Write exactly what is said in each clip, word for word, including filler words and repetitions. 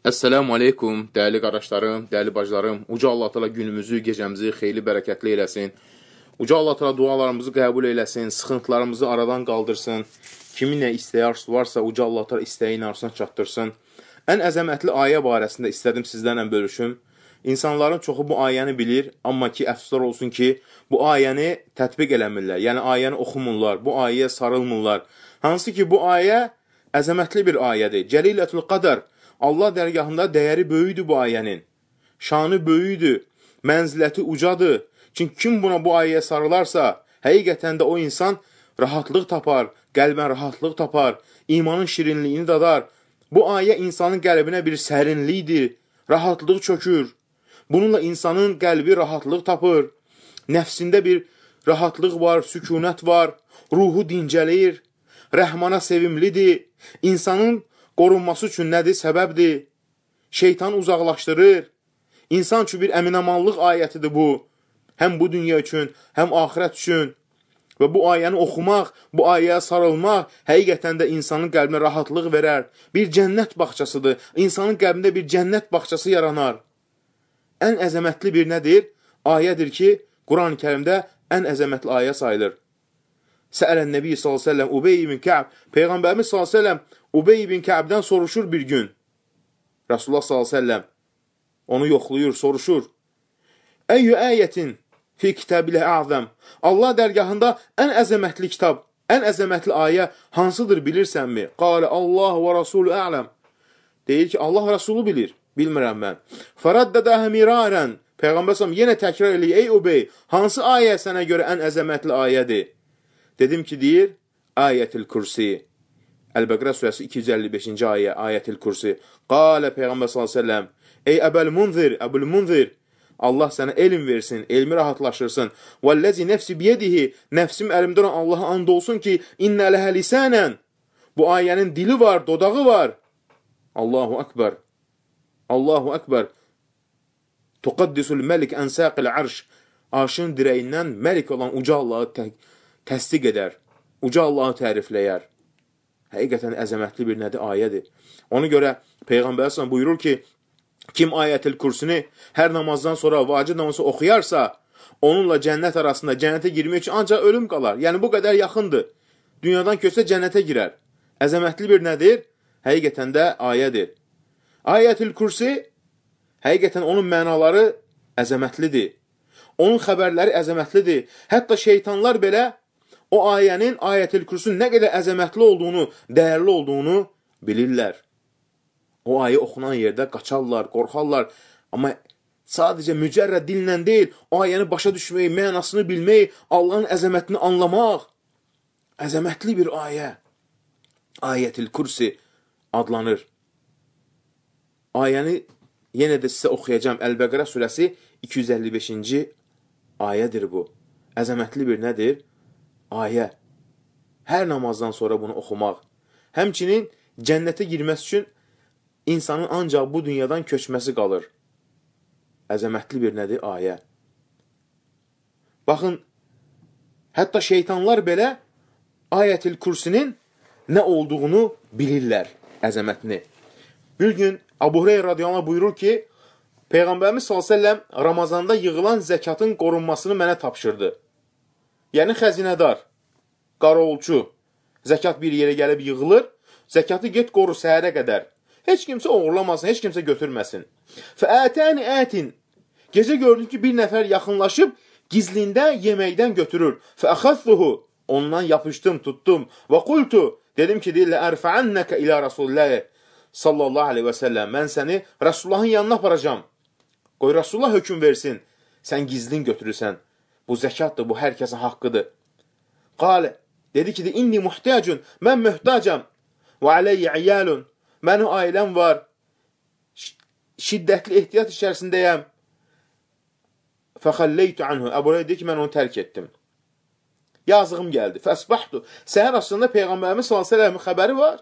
Əssəlamu aleykum, dəyərli qardaşlarım, dəyərli bacılarım. Uca Allah Teala günümüzü, gecəmizi xeyli bərəkətli eləsin. Uca Allah Teala dualarımızı qəbul eləsin, sıxıntılarımızı aradan qaldırsın. Kimin nə istəyi arzusu varsa, Uca Allah Teala istəyin arzusuna çatdırsın. Ən əzəmətli ayə barəsində istədim sizlərlə bölüşüm. İnsanların çoxu bu ayəni bilir, amma ki, əfsuslar olsun ki, bu ayəni tətbiq eləmirlər. Yəni, ayəni oxumurlar, bu ayəyə sarılmırlar. Hansı ki, bu ayə əzəmətli bir ayədir. Cəlilətül Qadər. Allah dərgahında dəyəri böyüdür bu ayənin. Şanı böyüdür, mənziləti ucadır. Çünki kim buna bu ayəyə sarılarsa, həqiqətən də o insan rahatlıq tapar, qəlbən rahatlıq tapar, imanın şirinliyini dadar. Bu ayə insanın qəlbinə bir sərinlikdir, rahatlıq çökür. Bununla insanın qəlbi rahatlıq tapır. Nəfsində bir rahatlıq var, sükunət var, ruhu dincəlir, rəhmana sevimlidir. İnsanın qorunması üçün nədir? Səbəbdir. Şeytanı uzaqlaşdırır. İnsan üçün bir əminamanlıq ayətidir bu. Həm bu dünya üçün, həm axirət üçün. Və bu ayəni oxumaq, bu ayəyə sarılmaq həqiqətən də insanın qəlbinə rahatlıq verər. Bir cənnət bağçasıdır. İnsanın qəlbində bir cənnət bağçası yaranar. Ən əzəmətli bir nədir? Ayədir ki, Quran-ı Kərimdə ən əzəmətli ayə sayılır. Səələn Nəbi sallallahu əleyhi və səlləm Ubey ibn Kə'b, Peyğəmbərimiz sallallahu əleyhi və səlləm Ubey ibn Kə'bdən soruşur bir gün. Rasulullah sallallahu əleyhi və səlləm onu yoxlayır, soruşur. Əyyü ayətin fi kitabilə əzəm. Allah dərgahında ən əzəmətli kitab, ən əzəmətli ayə hansıdır bilirsənmi? Qalə Allah və Rasulü ələm. Deyir ki, Allah Rasulü bilir, bilmirəm mən. Fəraddədəhə mirarən. Peyğəmbər sallallahu yenə təkrar eləyir. Ey Ubey, hansı ayə sənə görə ən əzəmətli ayədir? Dedim ki, deyir, Ayətil Kürsi. Əl-Bəqrə surəsi iki yüz əlli beşinci ayə, Ayətil Kürsi. Qalə Peyğəmbər sallallahu əleyhi və səlləm, ey Əbəl Munzir, Əbul Munzir, Allah sənə elm versin, elmi rahatlaşırsın. Vəlləzi nəfsi biyədihi, nəfsim əlimdə olan Allaha and olsun ki, innə ləhə lisənən. Bu ayənin dili var, dodağı var. Allahu Akbar. Allahu Akbar. Tuqaddisul məlik ənsəqil arş. Arşın dirəyindən məlik olan uca Allahı tə təsdiq edər. Uca Allahı tərifləyər. Həqiqətən əzəmətli bir nədir? Ayədir. Ona görə Peyğəmbər sallallahu buyurur ki, kim Ayətil Kürsünü hər namazdan sonra vacib namazı oxuyarsa, onunla cənnət arasında cənnətə girmək üçün ancaq ölüm qalar. Yəni bu qədər yaxındır. Dünyadan köçsə cənnətə girər. Əzəmətli bir nədir? Həqiqətən də ayədir. Ayətil Kürsi həqiqətən onun mənaları əzəmətlidir. Onun xəbərləri əzəmətlidir. Hətta şeytanlar belə o ayənin, Ayətil Kürsünün nə qədər əzəmətli olduğunu, dəyərli olduğunu bilirlər. O ayə oxunan yerdə qaçarlar, qorxarlar. Amma sadəcə mücərrəd dillə deyil, o ayəni başa düşmək, mənasını bilmək, Allahın əzəmətini anlamaq. Əzəmətli bir ayə. Ayətil Kürsi adlanır. Ayəni yenə də sizə oxuyacağım. Əl-Bəqrə surəsi iki yüz əlli beşinci ayədir bu. Əzəmətli bir nədir? Ayə. Hər namazdan sonra bunu oxumaq. Həmçinin cənnətə girməsi üçün insanın ancaq bu dünyadan köçməsi qalır. Əzəmətli bir nədir? Ayə. Baxın, hətta şeytanlar belə Ayətil Kürsinin nə olduğunu bilirlər, əzəmətini. Bir gün Əbu Hüreyrə radiyallahu anh buyurur ki, Peyğəmbərimiz sallallahu əleyhi və səlləm Ramazanda yığılan zəkatın qorunmasını mənə tapşırdı. Yəni xəzinədar, qarovulçu, zəkat bir yerə gəlib yığılır, zəkatı get qoru səhərə qədər. Heç kimsə oğurlamasın, heç kimsə götürməsin. Fəətəni ətin. Gecə gördüm ki, bir nəfər yaxınlaşıb, gizlində yeməkdən götürür. Fəəxəzzuhu. Ondan yapışdım, tuttum. Və qultu. Dedim ki, deyirlə, ərfəənnəkə ilə Rasulullah sallallahu aleyhi və səlləm. Mən səni Rasulullahın yanına aparacam. Qoy Rasulullah hökm versin. Sən gizlin götürürsən. Bu zəkatdır, bu hər kəsin haqqıdır. Qalə. Dedi ki, inni muhtəcun. Mən mühtacam. Və aleyyə iyəlun. Mənim ailəm var. Şiddətli ehtiyat içərisindəyəm. Fəxəlleytu anhu. Əbu Hüreyrə deyir ki, mən onu tərk etdim. Yazığım gəldi. Fəsbahtu. Səhər aslında Peyğəmbərimiz sallallahu əleyhi və səlləmin xəbəri var.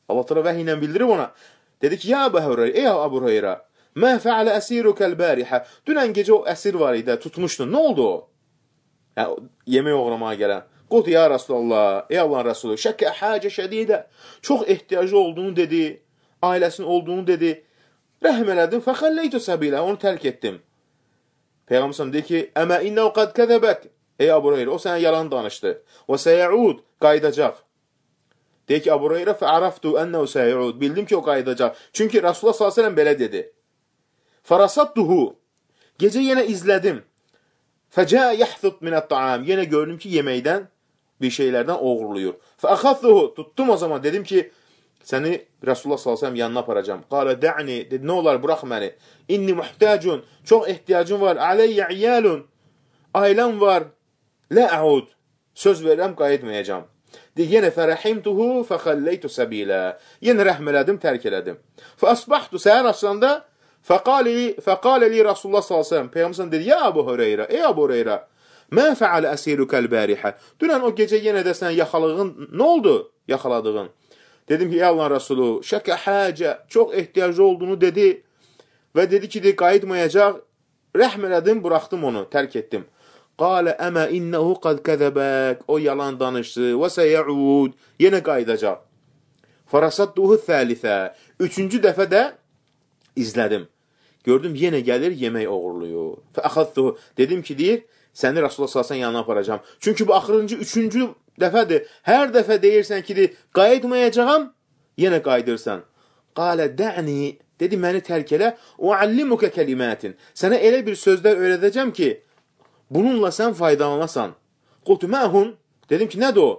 Allah təala vəhiy ilə bildirib ona. Dedi ki, ya Əbu Hüreyrə, ey Əbu Hüreyrə, mə fəalə əsirukəl bərihə. Dünən gecə o əsir var idi, tutmuşdun. Nə oldu o? Yəni, yemək oğramağa gələn. Qultu ya Rasulallah, ey Allahın Rasulü, şəkkə həcə şədidə. Çox ehtiyacı olduğunu dedi. ailəsinin olduğunu dedi. Rəhm elədim, fəxəlləytu səbilə, onu tərk etdim. Peyğəmbər deyir ki, əmə innəu qad kəzəbək. Ey Əbu Hüreyrə, o sənə yalan danışdı. Və səyəud, qayıdacaq. Deyir ki, Əbu Hüreyrə fəərəftu ənəu səyəud. Bildim ki, o qayıdacaq. Çünki Rasulullah sallallahu əleyhi və səlləm belə dedi. Fərasattuhu. Gecə yenə izlədim. Fəcə yəhthut minət-taam. Yenə gördüm ki, yeməkdən bir şeylərdən oğurluyur. Fəəxəzzuhu. Tutdum o zaman. Dedim ki, səni Rasulullah sallallahu əleyhi və səlləm yanına aparacam. Qalə də'ni. Dedi, nə olar, burax məni. İnni muhtacun. Çox ehtiyacım var. Aleyyə iyalun. Ailəm var. Lə əud. Söz verirəm, qayıtmayacam. Deyir, yenə fərəhimtuhu fəxəlləytu səbilə. Yenə rəhm elədim, tərk elədim. Fəasbahtu, səhər açılanda fəqalə li Rasulullah sallallahu əleyhi və səlləm. Peyğəmbər dedi, ya Əbu Hüreyrə, ey Əbu Hüreyrə, mə fəalə əsirukəl bərihə. Dünən o gecə yenə də sən yaxalığın, nə oldu yaxaladığın? Dedim ki, ey Allahın Rasulü, şəkə həcə, çox ehtiyaclı olduğunu dedi və dedi ki, qayıtmayacaq. Rəhm elədim, buraxdım onu, tərk etdim. Qalə əmə innəhu qad kəzəbək. O yalan danışdı. Və səyəud. Yenə qayıdacaq. Fərasatduhu thəlithə. Üçüncü dəfə də izlədim. Gördüm, yenə gəlir, yemək oğurluyur. Fəəxəzduhu. Dedim ki, deyir, səni Rasulullah sallallahu əleyhi və səlləm yanına aparacam. Çünki bu axırıncı, üçüncü dəfədir. Hər dəfə deyirsən ki, deyir, qayıtmayacağam, yenə qayıdırsan. Qalə də'ni. Dedi, məni tərk elə. Və allimukə kəlimətin. Sənə elə bir sözlər öyrədəcəm ki, bununla sən faydalanasan. Qultu məhun. Dedim ki, nədir o?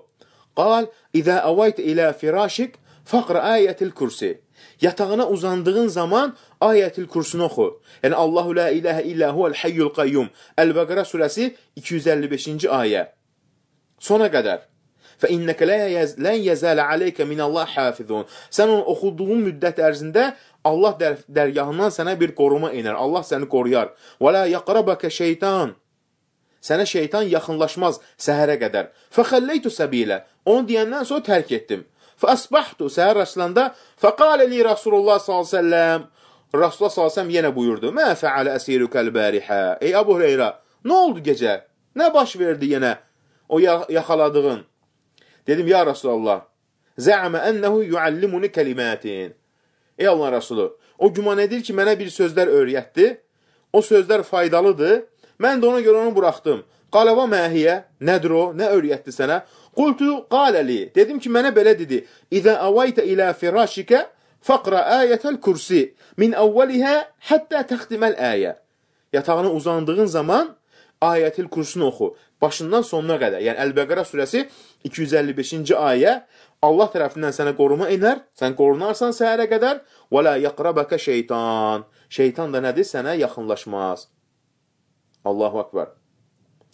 Qal, İzə əvaytə ilə firashik, fəqrə ayətil kursi. Yatağına uzandığın zaman ayətil kursunu oxu. Yəni, Allahu la iləhə illə huvəl hayyul qayyum. Əl-Bəqərə surəsi iki yüz əlli beşinci ayə. Sona qədər. Fə innəkə lən yəzələ aleykə minəllah hafizun. Sən onu oxuduğun müddət ərzində Allah dər dərgahından sənə bir qoruma iner. Allah səni qoruyar. Və la yaqrabəkə şeytan. Sənə şeytan yaxınlaşmaz səhərə qədər. Fəxəlləytu səbilə. Onu deyəndən sonra tərk etdim. Fəasbahtu. Səhər açılanda fəqalə li Rasulullah sallallahu əleyhi və səlləm. Rasulullah sallallahu əleyhi və səlləm yenə buyurdu. Mə fəalə əsirukəl bərihə. Ey Əbu Hüreyrə, nə oldu gecə? Nə baş verdi yenə o yaxaladığın? Dedim, ya Rasulullah, zə'mə ənəhu yuallimuni kəlimətin. Ey Allah Rasulü, o güman edir ki, mənə bir sözlər öyrətdi. O sözlər faydalıdır. Mən də ona görə onu buraxdım. Qaləva məhiyyə, nədir o, nə öyrətdi sənə? Qultu qaləli, dedim ki, mənə belə dedi. İzə əvaytə ilə firashikə, fəqrə ayətəl kursi, min əvvəlihə həttə təxtiməl əyə. Yatağına uzandığın zaman ayətil kursunu oxu. Başından sonuna qədər. Yəni, Əl-Bəqərə surəsi iki yüz əlli beşinci ayə. Allah tərəfindən sənə qoruma iner. Sən qorunarsan səhərə qədər. Və la yaqrabəkə şeytan. Şeytan da nədir? Sənə yaxınlaşmaz. Allahu Akbar.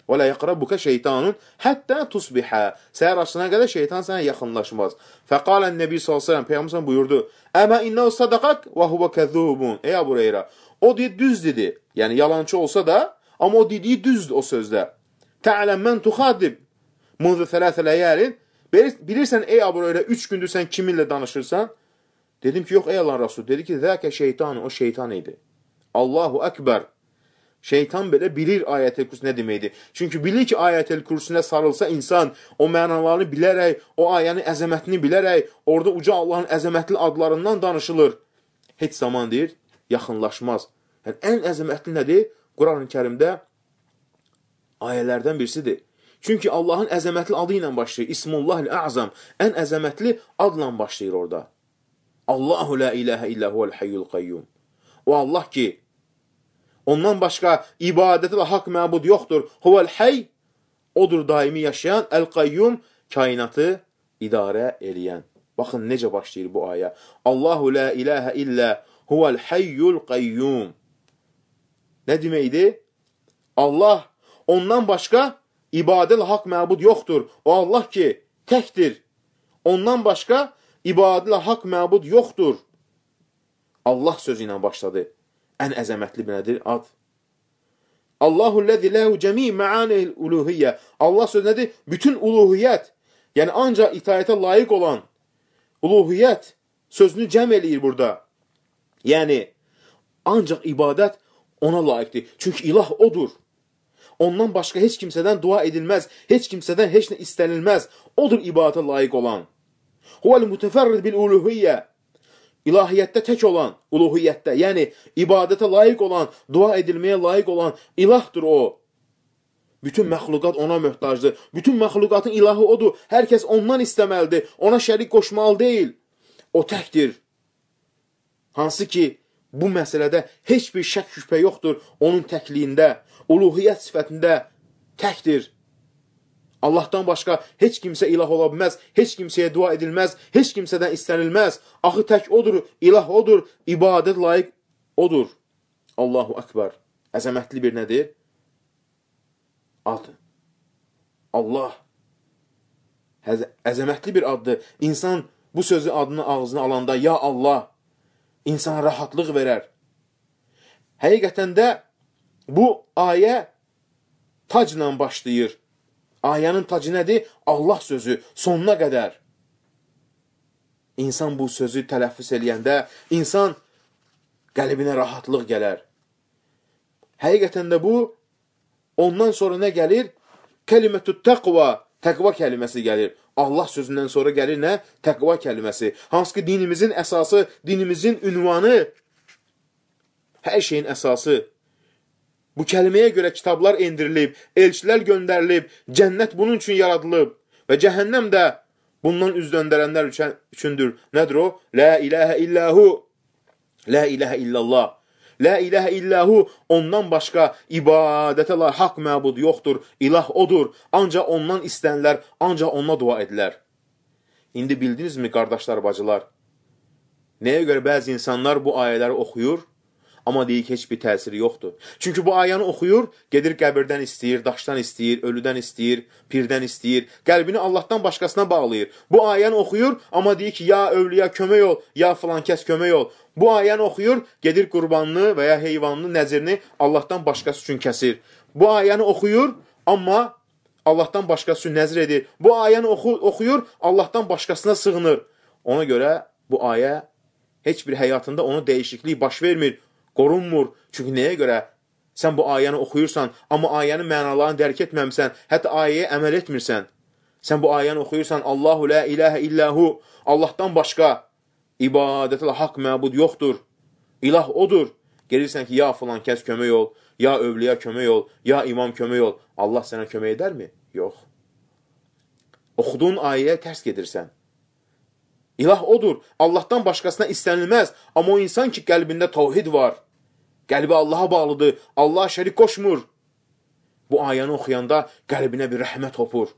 Və la yaqrabukə şeytanun həttə tusbihə. Səhər açına qədər şeytan sənə yaxınlaşmaz. Fəqalən Nəbi sallallahu əleyhi və səlləm, Peyğəmbər buyurdu: "Əmə innəhu sadaqak və huve kəzubun." Ey Əbu Hüreyrə, o deyir düz dedi. Yəni yalançı olsa da, amma o dediyi düzdür o sözdə. Tə'ləm mən tuxadib munzu thələthə ləyəlin. Bilirsən ey Əbu Hüreyrə, üç gündür sən kiminlə danışırsan? Dedim ki, yox ey Allahın Rasulü. Dedi ki, zəkə şeytan, o şeytan idi. Allahu Ekber. Şeytan belə bilir ayət-el kursu nə deməkdir. Çünki bilir ki, ayət-el kursunə sarılsa insan o mənalarını bilərək, o ayənin əzəmətini bilərək, orada uca Allahın əzəmətli adlarından danışılır. Heç zaman deyir, yaxınlaşmaz. Yəni, ən əzəmətli nədir? Quran-ı Kərimdə ayələrdən birisidir. Çünki Allahın əzəmətli adı ilə başlayır. İsmullahil-A'zam. Ən əzəmətli adla başlayır orada. Allahu la iləhə illə huvəl hayyul qayyum. O Allah ki, ondan başqa ibadəti və haqq məbud yoxdur. Huvəl hayy, odur daimi yaşayan, əl-qayyum, kainatı idarə eləyən. Baxın, necə başlayır bu ayə. Allahu la iləhə illə huvəl hayyul qayyum. Nə deməkdir? Allah, ondan başqa ibadəti və haqq məbud yoxdur. O Allah ki, təkdir. Ondan başqa ibadəti və haqq məbud yoxdur. Allah sözü ilə başladı. Ən əzəmətli nədir? Ad. Allahu-ləzi ləhu cəmi mə'anihil uluhiyyə. Allah sözü nədir? Bütün uluhiyyət, yəni ancaq itaətə layiq olan uluhiyyət sözünü cəm eləyir burada. Yəni, ancaq ibadət ona layiqdir. Çünki ilah odur. Ondan başqa heç kimsədən dua edilməz, heç kimsədən heç nə istənilməz. Odur ibadətə layiq olan. Huvəl mütəfərrid bil uluhiyyə. ilahiyyətdə tək olan, uluhiyyətdə, yəni ibadətə layiq olan, dua edilməyə layiq olan ilahdır o. Bütün məxluqat ona möhtacdır. Bütün məxluqatın ilahı odur. Hər kəs ondan istəməlidir. Ona şərik qoşmalı deyil. O təkdir. Hansı ki, bu məsələdə heç bir şək şübhə yoxdur. Onun təkliyində, uluhiyyət sifətində təkdir. Allahdan başqa heç kimsə ilah ola bilməz, heç kimsəyə dua edilməz, heç kimsədən istənilməz. Axı tək odur, ilah odur, ibadət layiq odur. Allahu Akbar. Əzəmətli bir nədir? Ad. Allah. Əzəmətli bir addır. İnsan bu sözü adını ağzına alanda, ya Allah, insana rahatlıq verər. Həqiqətən də bu ayə tacla başlayır. Ayənin tacı nədir? Allah sözü sonuna qədər. İnsan bu sözü tələffüz eləyəndə, insan qəlbinə rahatlıq gələr. Həqiqətən də bu, ondan sonra nə gəlir? Kəlimətü təqva, təqva kəliməsi gəlir. Allah sözündən sonra gəlir nə? Təqva kəliməsi. Hansı ki, dinimizin əsası, dinimizin ünvanı, hər şeyin əsası. Bu kəlməyə görə kitablar endirilib, elçilər göndərilib, cənnət bunun üçün yaradılıb və cəhənnəm də bundan üz döndərənlər üçündür. Nədir o? La ilahə illahu, la ilahə illallah. La ilahə illahu, ondan başqa ibadətə la haqq məbud yoxdur, ilah odur. Ancaq ondan istənilər, ancaq ona dua edilər. İndi bildinizmi, qardaşlar, bacılar? Nəyə görə bəzi insanlar bu ayələri oxuyur? Amma deyik, heç bir təsiri yoxdur. Çünki bu ayəni oxuyur, gedir qəbirdən istəyir, daşdan istəyir, ölüdən istəyir, pirdən istəyir, qəlbini Allahdan başqasına bağlayır. Bu ayəni oxuyur, amma deyir ki, ya övliya kömək ol, ya filan kəs kömək ol. Bu ayəni oxuyur, gedir qurbanını və ya heyvanını, nəzirini Allahdan başqası üçün kəsir. Bu ayəni oxuyur, amma Allahdan başqası üçün nəzir edir. Bu ayəni oxu oxuyur, Allahdan başqasına sığınır. Ona görə bu ayə heç bir həyatında ona dəyişiklik baş vermir. Qorunmur. Çünki nəyə görə? Sən bu ayəni oxuyursan, amma ayənin mənalarını dərk etməmsən, hətta ayəyə əməl etmirsən. Sən bu ayəni oxuyursan, Allahu la ilahə illahu, Allahdan başqa ibadətlə haqq məbud yoxdur. İlah odur. Gelirsən ki, ya filan kəs kömək ol, ya övliya kömək ol, ya imam kömək ol. Allah sənə kömək edərmi? Yox. Oxuduğun ayəyə tərs gedirsən. İlah odur. Allahdan başqasına istənilməz. Amma o insan ki, qəlbində tavhid var. Qəlbi Allaha bağlıdır. Allaha şərik qoşmur. Bu ayəni oxuyanda qəlbinə bir rəhmət hopur.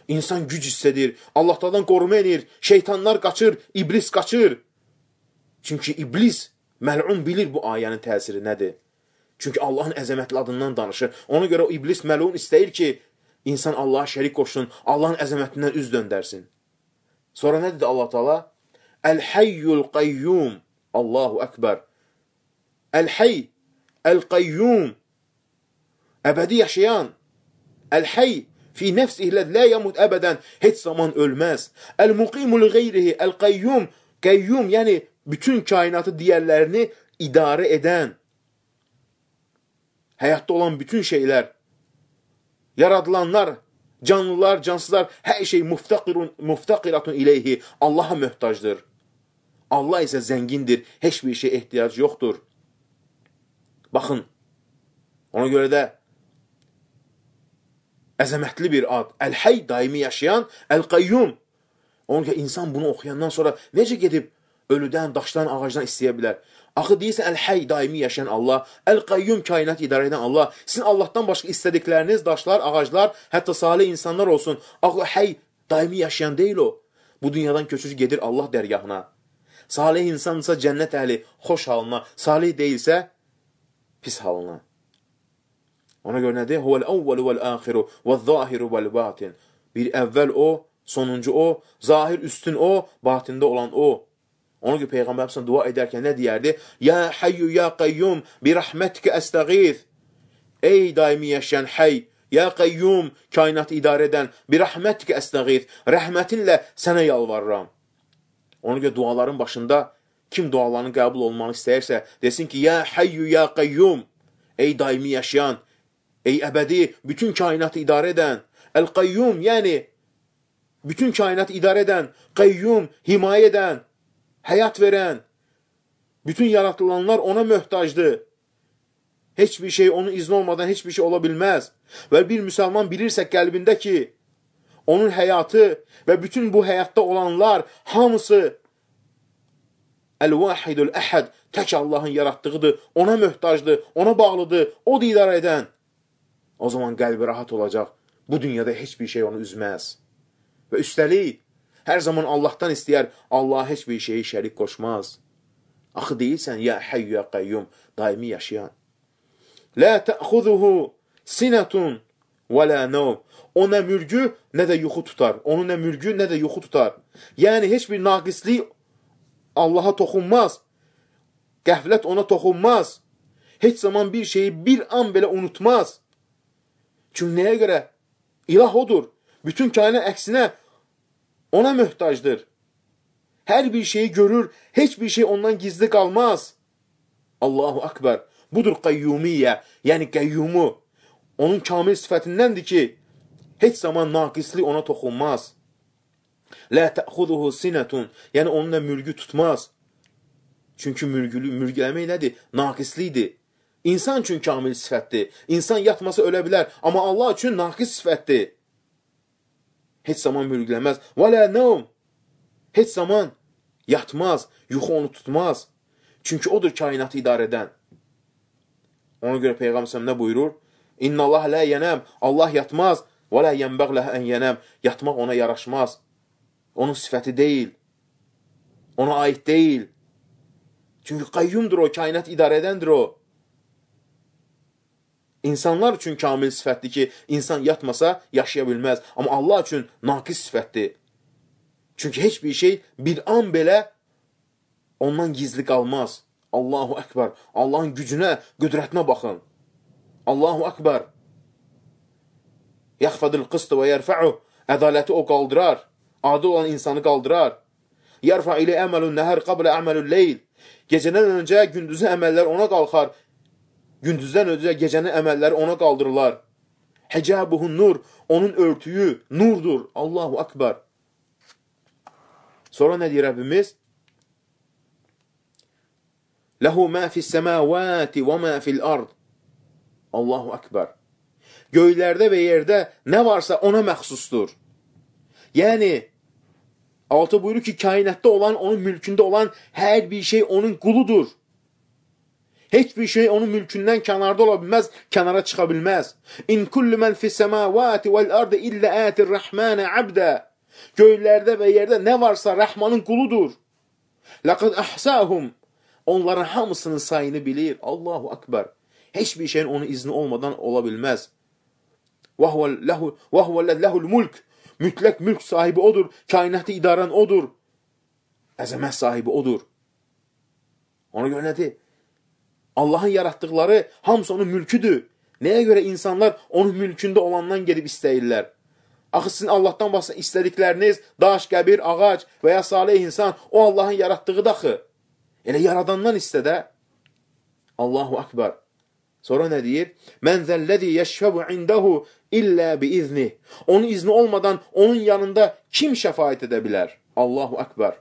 İnsan güc hissedir. Allahdan qoruma edir. Şeytanlar qaçır. İblis qaçır. Çünki iblis, məlun bilir bu ayənin təsiri nədir. Çünki Allahın əzəmətli adından danışır. Ona görə o iblis, məlun istəyir ki, insan Allaha şərik qoşsun. Allahın əzəmətindən üz döndərsin. Sonra nə dedi Allah Teala? Əl-Hayyul Qayyum. Allahu Ekber. Əl-Hayy, Əl-Qayyum. Əbədi yaşayan. Əl-Hayy, fi nəfsihlə lə yəmud əbədən. Heç zaman ölməz. Əl-Muqimul qeyrihi, Əl-Qayyum. Qayyum, yəni bütün kainatı digərlərini idarə edən. Həyatda olan bütün şeylər. Yaradılanlar, canlılar, cansızlar, hər şey muftaqiratun ileyhi. Allaha möhtacdır. Allah isə zəngindir. Heç bir şey ehtiyac yoxdur. Baxın, ona görə də əzəmətli bir ad. Əl-Hayy, daimi yaşayan, Əl-Qayyum. Ona görə insan bunu oxuyandan sonra necə gedib ölüdən, daşdan, ağacdan istəyə bilər? Axı deyirsən, Əl-Hayy, daimi yaşayan Allah, Əl-Qayyum, kainat idarə edən Allah. Sizin Allahdan başqa istədikləriniz, daşlar, ağaclar, hətta salih insanlar olsun. Axı Hayy, daimi yaşayan deyil o. Bu dünyadan köçür gedir Allah dərgahına. Salih insansa cənnət əhli, xoş halına, salih deyilsə, pis halına. Ona görə nədir? Huvəl-əvvəlu vəl-əxiru vəl-zəhiru vəl-batin. Bir əvvəl o, sonuncu o, zahir üstün o, batində olan o. Ona görə Peyğəmbər həmsən dua edərkən nə deyərdi? Ya Hayyu, ya Qayyum, bir rəhmətikə əstəğiz. Ey daimi yaşayan Hayy, ya Qayyum, kainatı idarə edən, bir rəhmətikə əstəğiz. Rəhmətinlə sənə yalvarıram. Ona görə duaların başında kim dualarının qəbul olmanı istəyirsə, desin ki, ya Hayyu, ya Qayyum, ey daimi yaşayan, ey əbədi, bütün kainatı idarə edən, Əl-Qayyum, yəni bütün kainatı idarə edən, Qayyum, himayə edən, həyat verən, Bütün yaratılanlar ona möhtacdır. Heç bir şey onun izni olmadan heç bir şey ola bilməz. Və bir müsəlman bilirsə qəlbində ki, onun həyatı və bütün bu həyatda olanlar hamısı Əl-Vahidul Əhəd, tək Allahın yaratdığıdır, ona möhtacdır, ona bağlıdır, o da idarə edən. O zaman qəlbi rahat olacaq. Bu dünyada heç bir şey onu üzməz. Və üstəlik, hər zaman Allahdan istəyər, Allah heç bir şeyi şərik qoşmaz. Axı deyilsən, ya Hayyu ya Qayyum, daimi yaşayan. Lə təxuzuhu sinətun və lə nəv. O nə mürgü, nə də yuxu tutar. Onu nə mürgü, nə də yuxu tutar. Yəni, heç bir naqislik Allaha toxunmaz. Qəflət ona toxunmaz. Heç zaman bir şeyi bir an belə unutmaz. Çünki nəyə görə? İlah odur. Bütün kainat əksinə ona möhtacdır. Hər bir şeyi görür, heç bir şey ondan gizli qalmaz. Allahu Akbar. Budur qayyumiyyə, yəni qəyyumu. Onun kamil sifətindəndir ki, heç zaman naqislik ona toxunmaz. Lə təxuzuhu sinətun, yəni onunla mürgü tutmaz. Çünki mürgülü, mürgüləmək nədir? Naqislidir. İnsan üçün kamil sifətdir. İnsan yatmasa ölə bilər, amma Allah üçün naqis sifətdir. Heç zaman mürgüləməz. Və lə nəum, heç zaman yatmaz, yuxu onu tutmaz. Çünki odur kainatı idarə edən. Ona görə Peyğəmbər nə buyurur? İnna Allah lə yənəm, Allah yatmaz, və lə yənbəq ləhə ən yənəm, yatmaq ona yaraşmaz. Onun sifəti deyil, ona aid deyil. Çünki qayyumdur o, kainat idarə edəndir o. İnsanlar üçün kamil sifətdir ki, insan yatmasa yaşaya bilməz. Amma Allah üçün naqis sifətdir. Çünki heç bir şey bir an belə ondan gizli qalmaz. Allahu Akbar. Allahın gücünə, qüdrətinə baxın. Allahu Akbar. Yaxfadil qıstı və yərfə'u. Ədaləti o qaldırar. Adil olan insanı qaldırar. Yərfə ilə əməlun nəhər qablə əməlun leyl. Gecədən öncə gündüzün əməllər ona qalxar. Gündüzdən öncə gecənin əməlləri ona qaldırırlar. Həcabuhun nur. Onun örtüyü nurdur. Allahu Akbar. Sonra nə deyir Rəbbimiz? Ləhu mə fis-səmavati və mə fil-ard. Allahu Akbar. Göylərdə və yerdə nə varsa ona məxsusdur. Yəni, altı buyurur ki, kainatda olan, onun mülkündə olan hər bir şey onun quludur. Heç bir şey onun mülkündən kənarda ola bilməz, kənara çıxa bilməz. İn kullu mən fis-səmavati vəl-ardı illə ətir-rəhmənə abdə. Göylərdə və yerdə nə varsa Rəhmanın quludur. Ləqəd əhsəhum. Onların hamısının sayını bilir. Allahu Akbar. Heç bir şeyin onun izni olmadan ola bilməz. Və huvəlləhul mülk. Mütləq mülk sahibi odur. Kainatı idarən odur. Əzəmət sahibi odur. Ona görə nədir? Allahın yaratdıqları hamısı onun mülküdür. Nəyə görə insanlar onun mülkündə olandan gedib istəyirlər? Axı sizin Allahdan başqa istədikləriniz, daş, qəbir, ağac və ya salih insan, o Allahın yaratdığı daxı. Elə yaradandan istədə. Allahu Akbar. Sonra nə deyir? Mən zəlləzi yəşfəbu indəhu illə biizni. Onun izni olmadan onun yanında kim şəfaət edə bilər? Allahu Akbar.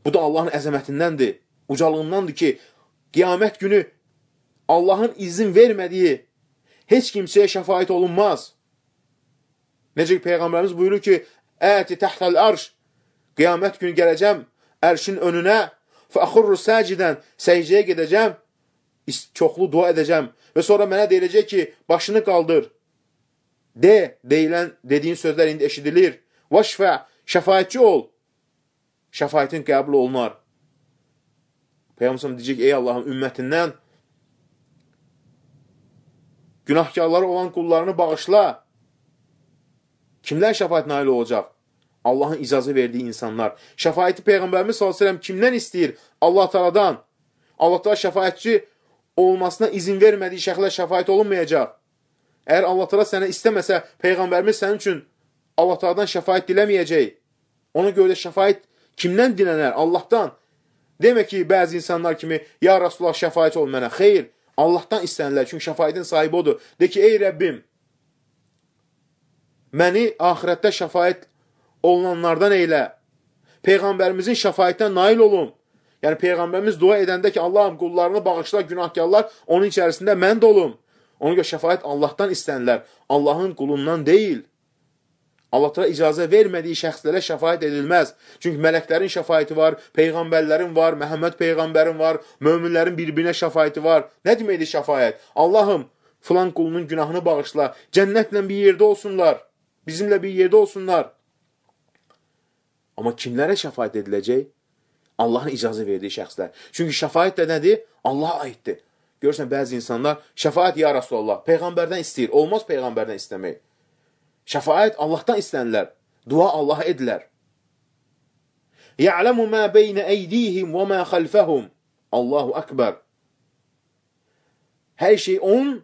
Bu da Allahın əzəmətindəndir, ucalığındandır ki, qiyamət günü Allahın izin vermədiyi heç kimsəyə şəfaət olunmaz. Necə ki, Peyğəmbərimiz buyurur ki, Əti təhtəl arş, qiyamət günü gələcəm, ərşin önünə, fəxurru səcidən, səcdəyə gedəcəm, çoxlu dua edəcəm və sonra mənə deyiləcək ki, başını qaldır. De, deyilən, dediyin sözlər indi eşidilir. Vaşfə, şəfaətçi ol. Şəfaətin qəbul olunar. Peyğəmbər deyəcək, ey Allahın ümmətindən günahkarları olan qullarını bağışla. Kimlər şəfaət nail olacaq? Allahın icazə verdiyi insanlar. Şəfaəti Peyğəmbərimiz sallallahu əleyhi və səlləm kimdən istəyir? Allah Taala'dan. Allah Taala şəfaətçi olmasına izin vermədiyi şəxslər şəfaət olunmayacaq. Əgər Allah Taala sənə istəməsə, Peyğəmbərimiz sənin üçün Allah Taala'dan şəfaət diləməyəcək. Ona görə də şəfaət kimdən dilənər? Allahdan. Demək ki, bəzi insanlar kimi, ya Rasulullah şəfaət ol mənə. Xeyr, Allahdan istənirlər, çünki şəfaətin sahibi odur. De ki, ey Rəbbim, məni axirətdə şəfaət olunanlardan eylə. Peyğəmbərimizin şəfaətindən nail olun. Yəni, Peyğəmbərimiz dua edəndə ki, Allahım qullarını bağışla, günahkarlar, onun içərisində mən də olum. Ona görə şəfaət Allahdan istənilər, Allahın qulundan deyil. Allah təala icazə vermədiyi şəxslərə şəfaət edilməz. Çünki mələklərin şəfaəti var, peyğəmbərlərin var, Məhəmməd peyğəmbərin var, möminlərin bir-birinə şəfaəti var. Nə deməkdir şəfaət? Allahım, filan qulunun günahını bağışla, cənnətlə bir yerdə olsunlar, bizimlə bir yerdə olsunlar. Amma kimlərə şəfaət ediləcək? Allahın icazə verdiyi şəxslər. Çünki şəfaət də nədir? Allaha aiddir. Görürsən, bəzi insanlar, şəfaət ya Rasulallah, peyğəmbərdən istəyir. Olmaz peyğəmbərdən istəmək. Şəfaət Allahdan istənilər. Dua Allaha edilər. Ya'lamu ma beynə eydihim və ma xalfəhum. Allahu akbar. Hər şey onun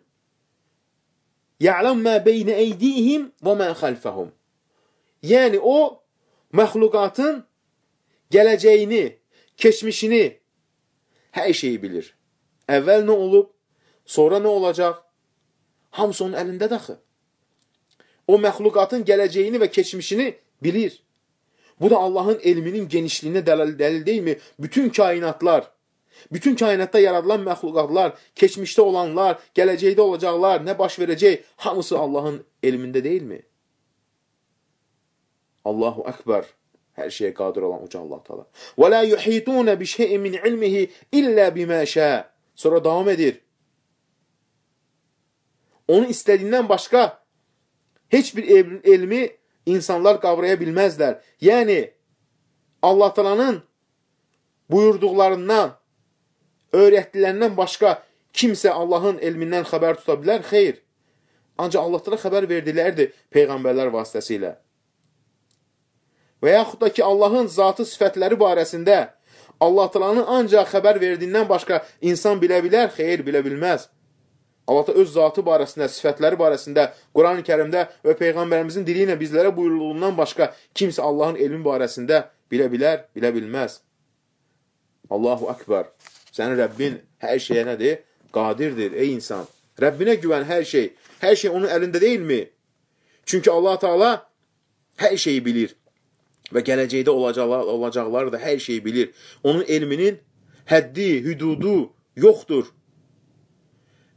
Ya'lamu ma beynə eydihim və ma xalfəhum. Yəni o məxluqatın gələcəyini, keçmişini, hər şeyi bilir. Əvvəl nə olub, sonra nə olacaq? Hamısı onun əlində daxı. O məxluqatın gələcəyini və keçmişini bilir. Bu da Allahın elminin genişliyinə dəlil deyilmi? Bütün kainatlar, bütün kainatda yaradılan məxluqatlar, keçmişdə olanlar, gələcəkdə olacaqlar, nə baş verəcək, hamısı Allahın elmində deyilmi? Allahu Akbar. Hər şeyə qadir olan uca Allah Teala. Və la yuhitun bi şey'in min ilmihi illa bima şa. Sonra davam edir. Onu istədiyindən başqa heç bir elmi insanlar qavraya bilməzlər. Yəni, Allah Teala'nın buyurduqlarından, öyrətdilərindən başqa kimsə Allahın elmindən xəbər tuta bilər? Xeyr. Ancaq Allah Teala xəbər verdilərdir Peyğəmbərlər vasitəsilə. Və yaxud da ki, Allahın zatı sifətləri barəsində Allah Teala'nın ancaq xəbər verdiyindən başqa insan bilə bilər? Xeyr, bilə bilməz. Allah da öz zatı barəsində, sifətləri barəsində, Quran-ı Kərimdə və Peyğəmbərimizin dili ilə bizlərə buyurulduğundan başqa kimsə Allahın elmi barəsində bilə bilər, bilə bilməz. Allahu Akbar. Sənin Rəbbin hər şeyə nədir? Qadirdir, ey insan. Rəbbinə güvən hər şey. Hər şey onun əlində deyilmi? Çünki Allah Teala hər şeyi bilir. Və gələcəkdə olacaqlar, olacaqlar da hər şeyi bilir. Onun elminin həddi, hüdudu yoxdur.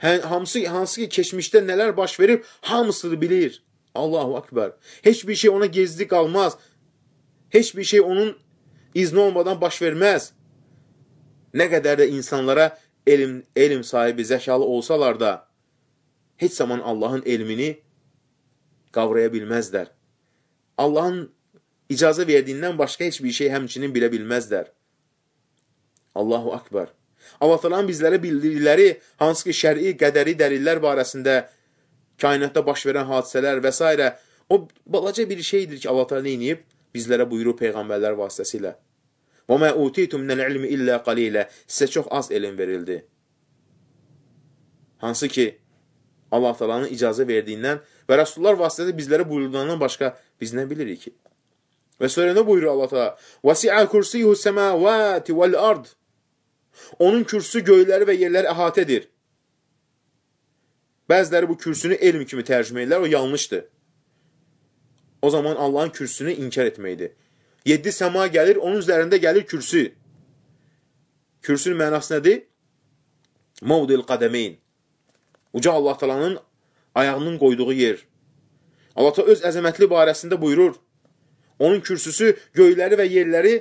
Hamısı, hansı ki, keçmişdə nələr baş verir, hamısını bilir. Allahu Akbar. Heç bir şey ona gizli qalmaz. Heç bir şey onun izni olmadan baş verməz. Nə qədər də insanlara elm, elm sahibi, zəkalı olsalar da, heç zaman Allahın elmini qavraya bilməzlər. Allahın icazə verdiyindən başqa heç bir şey həmçinin bilə bilməzlər. Allahu Akbar. Allah Teala'nın bizlərə bildirdikləri, hansı ki, şəri, qədəri dəlillər barəsində, kainatda baş verən hadisələr və s. O, balaca bir şeydir ki, Allah Teala neyniyib? Bizlərə buyurur Peyğəmbərlər vasitəsilə. وَمَا اُوتِيتُمْ مِنَ الْعِلْمِ إِلَّا قَلِيلًا. Sizə çox az elm verildi. Hansı ki, Allah Teala'nın icazə verdiyindən və Rasulullah vasitəsilə bizlərə buyurduğundan başqa biz nə bilirik ki? Və sonra nə buyurur Allah Teala? وَسِعَ كُرْسِيهُ السَّمَاوَاتِ وَالْأَرْضِ. Onun kürsü göyləri və yerləri əhatədir. Bəziləri bu kürsünü elm kimi tərcümə edirlər, o yanlışdır. O zaman Allahın kürsünü inkar etməkdir. Yeddi səma gəlir, onun üzərində gəlir kürsü. Kürsünün mənası nədir? Mavdil qədəmeyn. Uca Allah Teala'nın ayağının qoyduğu yer. Allah Teala öz əzəmətli barəsində buyurur. Onun kürsüsü göyləri və yerləri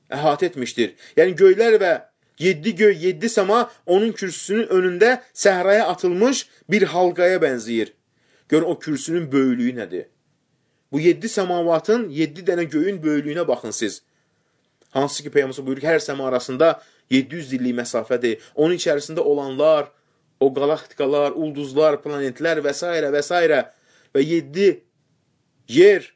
əhatə etmişdir. Yəni göylər və yeddi göy, yeddi səma onun kürsüsünün önündə səhraya atılmış bir halqaya bənzəyir. Görün o kürsünün böyüklüyü nədir? Bu yeddi səmavatın, yeddi dənə göyün böyüklüyünə baxın siz. Hansı ki, Peyğəmbər buyurur ki, hər səma arasında yeddi yüz illik məsafədir. Onun içərisində olanlar, o qalaktikalar, ulduzlar, planetlər və s. və s. və yeddi yer,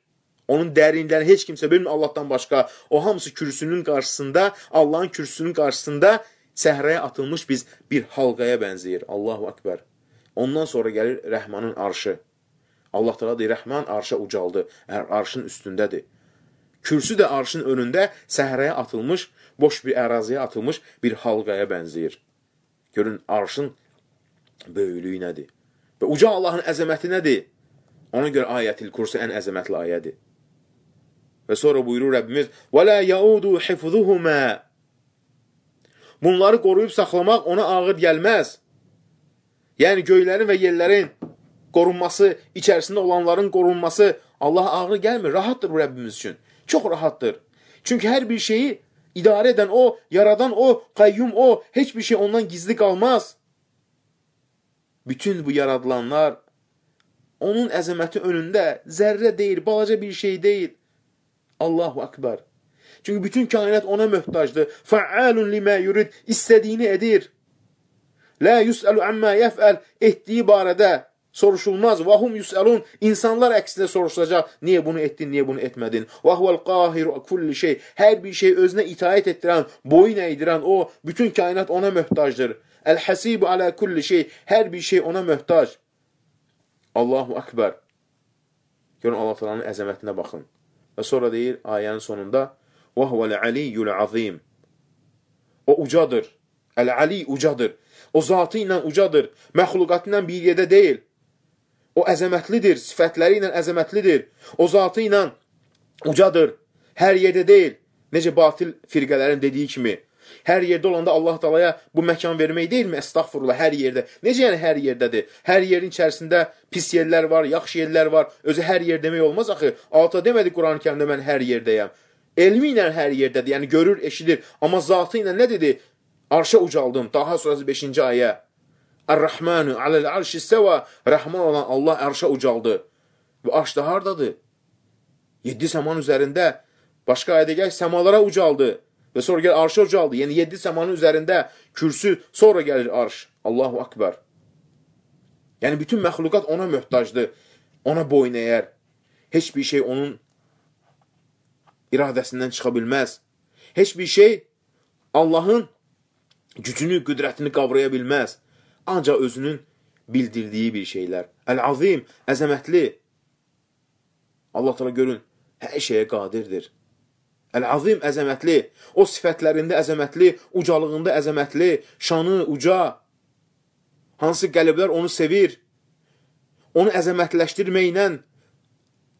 onun dərinliklərini heç kimsə bilmir Allahdan başqa. O hamısı kürsünün qarşısında, Allahın kürsünün qarşısında səhraya atılmış biz bir halqaya bənzəyir. Allahu Akbar. Ondan sonra gəlir Rəhmanın arşı. Allah Teala deyir, Rəhman arşa ucaldı, arşın üstündədir. Kürsü də arşın önündə səhraya atılmış, boş bir əraziyə atılmış bir halqaya bənzəyir. Görün, arşın böyüklüyü nədir? Və uca Allahın əzəməti nədir? Ona görə ayətil kursu ən əzəmətli ayədir. Və sonra buyurur Rəbbimiz, وَلَا يَعُودُ حِفْظُهُمَا. Bunları qoruyub saxlamaq ona ağır gəlməz. Yəni, göylərin və yerlərin qorunması, içərisində olanların qorunması Allaha ağır gəlmir. Rahatdır bu Rəbbimiz üçün. Çox rahatdır. Çünki hər bir şeyi idarə edən o, yaradan o, qayyum o, heç bir şey ondan gizli qalmaz. Bütün bu yaradılanlar onun əzəməti önündə zərrə deyil, balaca bir şey deyil. Allahu Akbar. Çünki bütün kainat ona möhtacdır. Fəalun limə yurid, istədiyini edir. La yus'alu amma yef'al, etdiyi barədə soruşulmaz. Və hum yus'alun, insanlar əksində soruşulacaq. Niyə bunu etdin, niyə bunu etmədin? Və huvel qahiru kulli şey, hər bir şey özünə itaət etdirən, boyun əydirən o, bütün kainat ona möhtacdır. Əl-həsibu alə kulli şey, hər bir şey ona möhtac. Allahu Akbar. Görün, Allah Teala'nın əzəmətinə baxın. Və sonra deyir ayənin sonunda və huvel aliyyul azim. O ucadır. Əl-ali ucadır. O zatı ilə ucadır. Məxluqatı ilə bir yerdə deyil. O əzəmətlidir. Sifətləri ilə əzəmətlidir. O zatı ilə ucadır. Hər yerdə deyil. Necə batil firqələrin dediyi kimi. Hər yerdə olanda Allah Teala'ya bu məkan vermək deyilmi? Estağfurullah, hər yerdə. Necə yəni hər yerdədir? Hər yerin içərisində pis yerlər var, yaxşı yerlər var. Özü hər yer demək olmaz axı. Alta demədi Quran-ı Kərimdə mən hər yerdəyəm. Elmi ilə hər yerdədir. Yəni görür, eşidir. Amma zatı ilə nə dedi? Arşa ucaldım. Daha sonrası beşinci ayə. Ar-Rahmanu aləl arşi səva. Rəhman olan Allah arşa ucaldı. Və arş da hardadır? Yeddi səman üzərində. Başqa ayədə gəl, səmalara ucaldı. Və sonra gəl arşa ucaldı. Yəni yeddi səmanın üzərində kürsü, sonra gəlir arş. Allahu Akbar. Yəni bütün məxluqat ona möhtacdır. Ona boyun əyər. Heç bir şey onun iradəsindən çıxa bilməz. Heç bir şey Allahın gücünü, qüdrətini qavraya bilməz. Ancaq özünün bildirdiyi bir şeylər. Əl-azim, əzəmətli. Allah Teala görün, hər şeyə qadirdir. Əl-azim, əzəmətli. O sifətlərində əzəmətli, ucalığında əzəmətli, şanı, uca. Hansı qəlblər onu sevir. Onu əzəmətləşdirməklə,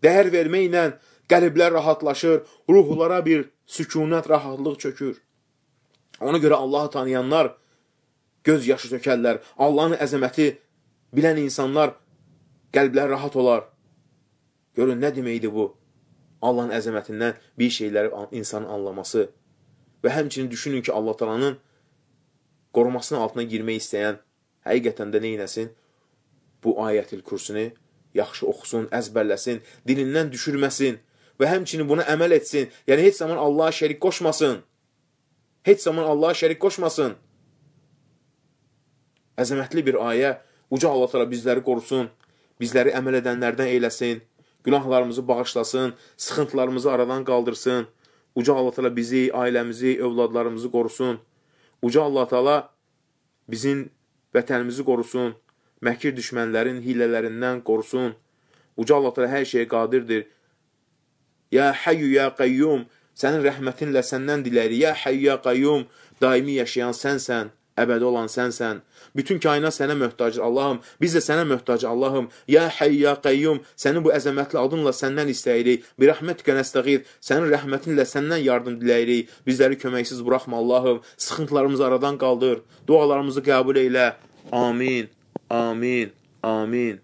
dəyər verməklə qəlblər rahatlaşır, ruhlara bir sükunət, rahatlıq çökür. Ona görə Allahı tanıyanlar göz yaşı tökərlər. Allahın əzəməti bilən insanlar qəlblər rahat olar. Görün, nə deməkdir bu? Allahın əzəmətindən bir şeyləri insanın anlaması. Və həmçinin düşünün ki, Allah Teala'nın qorumasının altına girmək istəyən həqiqətən də neynəsin? Bu ayətil kürsünü yaxşı oxusun, əzbərləsin, dilindən düşürməsin və həmçinin buna əməl etsin. Yəni, heç zaman Allaha şərik qoşmasın. Heç zaman Allaha şərik qoşmasın. Əzəmətli bir ayə. Uca Allah Teala bizləri qorusun, bizləri əməl edənlərdən eyləsin, günahlarımızı bağışlasın, sıxıntılarımızı aradan qaldırsın. Uca Allah Teala bizi, ailəmizi, övladlarımızı qorusun. Uca Allah Teala bizim vətənimizi qorusun, məkir düşmənlərin hilələrindən qorusun. Uca Allah Teala hər şeyə qadirdir. Ya Hayyu, Ya Qayyum, sənin rəhmətinlə səndən diləri. Ya Hayyu, Ya Qayyum, daimi yaşayan sənsən, əbədi olan sənsən. Bütün kainat sənə möhtacdır, Allahım. Biz də sənə möhtacı, Allahım. Ya Hayyu, Ya Qayyum, sənin bu əzəmətli adınla səndən istəyirik. Bir rəhmətikə nəstəğir, sənin rəhmətinlə səndən yardım diləyirik. Bizləri köməksiz buraxma, Allahım. Sıxıntılarımızı aradan qaldır. Dualarımızı qəbul eylə. Amin, amin, amin.